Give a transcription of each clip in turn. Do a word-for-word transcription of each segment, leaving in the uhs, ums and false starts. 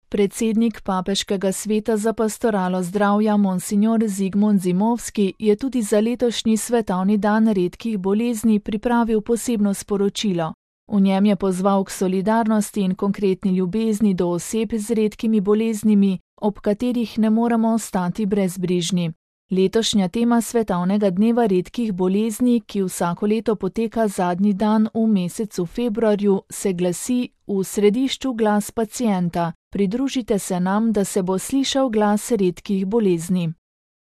Predsednik Papeškega sveta za pastoralo zdravja monsignor Zigmund Zimovski je tudi za letošnji svetovni dan redkih bolezni pripravil posebno sporočilo. V njem je pozval k solidarnosti in konkretni ljubezni do oseb z redkimi boleznimi, ob katerih ne moremo ostati brezbrižni. Letošnja tema svetovnega dneva redkih bolezni, ki vsako leto poteka zadnji dan v mesecu februarju, se glasi: V središču glas pacienta. Pridružite se nam, da se bo slišal glas redkih bolezni.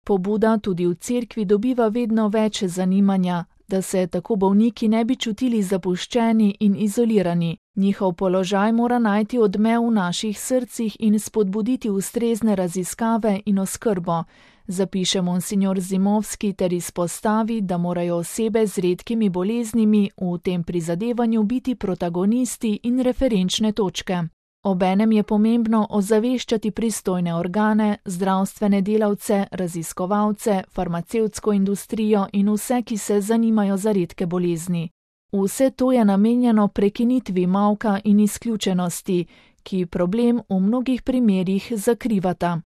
Pobuda tudi v cerkvi dobiva vedno več zanimanja, da se tako bolniki ne bi čutili zapuščeni in izolirani. Njihov položaj mora najti odmev v naših srcih in spodbuditi ustrezne raziskave in oskrbo, zapiše monsignor Zimovski ter izpostavi, da morajo osebe z redkimi boleznimi v tem prizadevanju biti protagonisti in referenčne točke. Obenem je pomembno ozaveščati pristojne organe, zdravstvene delavce, raziskovalce, farmacevtsko industrijo in vse, ki se zanimajo za redke bolezni. Vse to je namenjeno prekinitvi molka in izključenosti, ki problem v mnogih primerih zakrivata.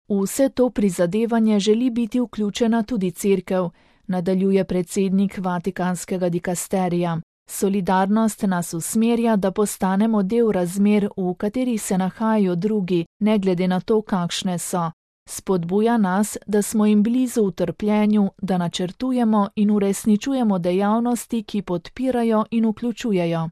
V vse to prizadevanje želi biti vključena tudi cerkev, nadaljuje predsednik Vatikanskega dikasterija. Solidarnost nas usmerja, da postanemo del razmer, v katerih se nahajajo drugi, ne glede na to, kakšne so. Spodbuja nas, da smo jim blizu v trpljenju, da načrtujemo in uresničujemo dejavnosti, ki podpirajo in vključujejo.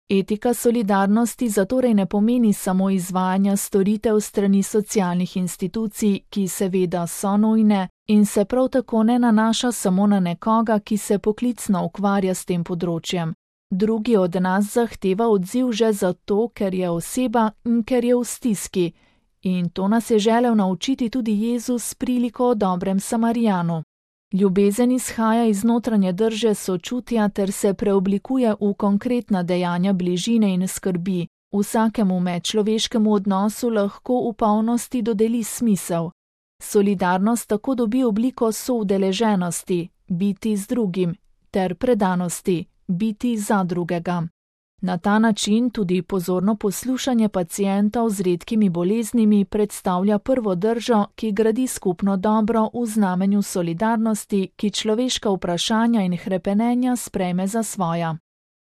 Etika solidarnosti zatorej ne pomeni samo izvajanja storitev strani socialnih institucij, ki seveda so nujne, in se prav tako ne nanaša samo na nekoga, ki se poklicno ukvarja s tem področjem. Drugi od nas zahteva odziv že zato, ker je oseba in ker je v stiski. In to nas je želel naučiti tudi Jezus s priliko o dobrem Samarijanu. Ljubezen izhaja iz notranje drže sočutja ter se preoblikuje v konkretna dejanja bližine in skrbi. Vsakemu medčloveškemu odnosu lahko v polnosti dodeli smisel. Solidarnost tako dobi obliko soudeleženosti, biti z drugim, ter predanosti, biti za drugega. Na ta način tudi pozorno poslušanje pacientov z redkimi boleznimi predstavlja prvo držo, ki gradi skupno dobro v znamenju solidarnosti, ki človeška vprašanja in hrepenenja sprejme za svoja.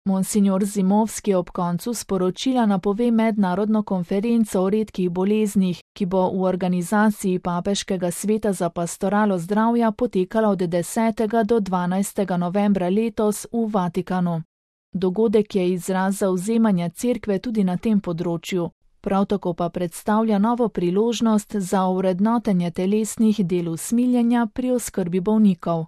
Monsignor Zimovski ob koncu sporočila napove mednarodno konferenco o redkih boleznih, ki bo v organizaciji Papeškega sveta za pastoralo zdravja potekala od desetega do dvanajstega novembra letos v Vatikanu. Dogodek je izraz zavzemanja cerkve tudi na tem področju, prav tako pa predstavlja novo priložnost za ovrednotenje telesnih del usmiljenja pri oskrbi bolnikov.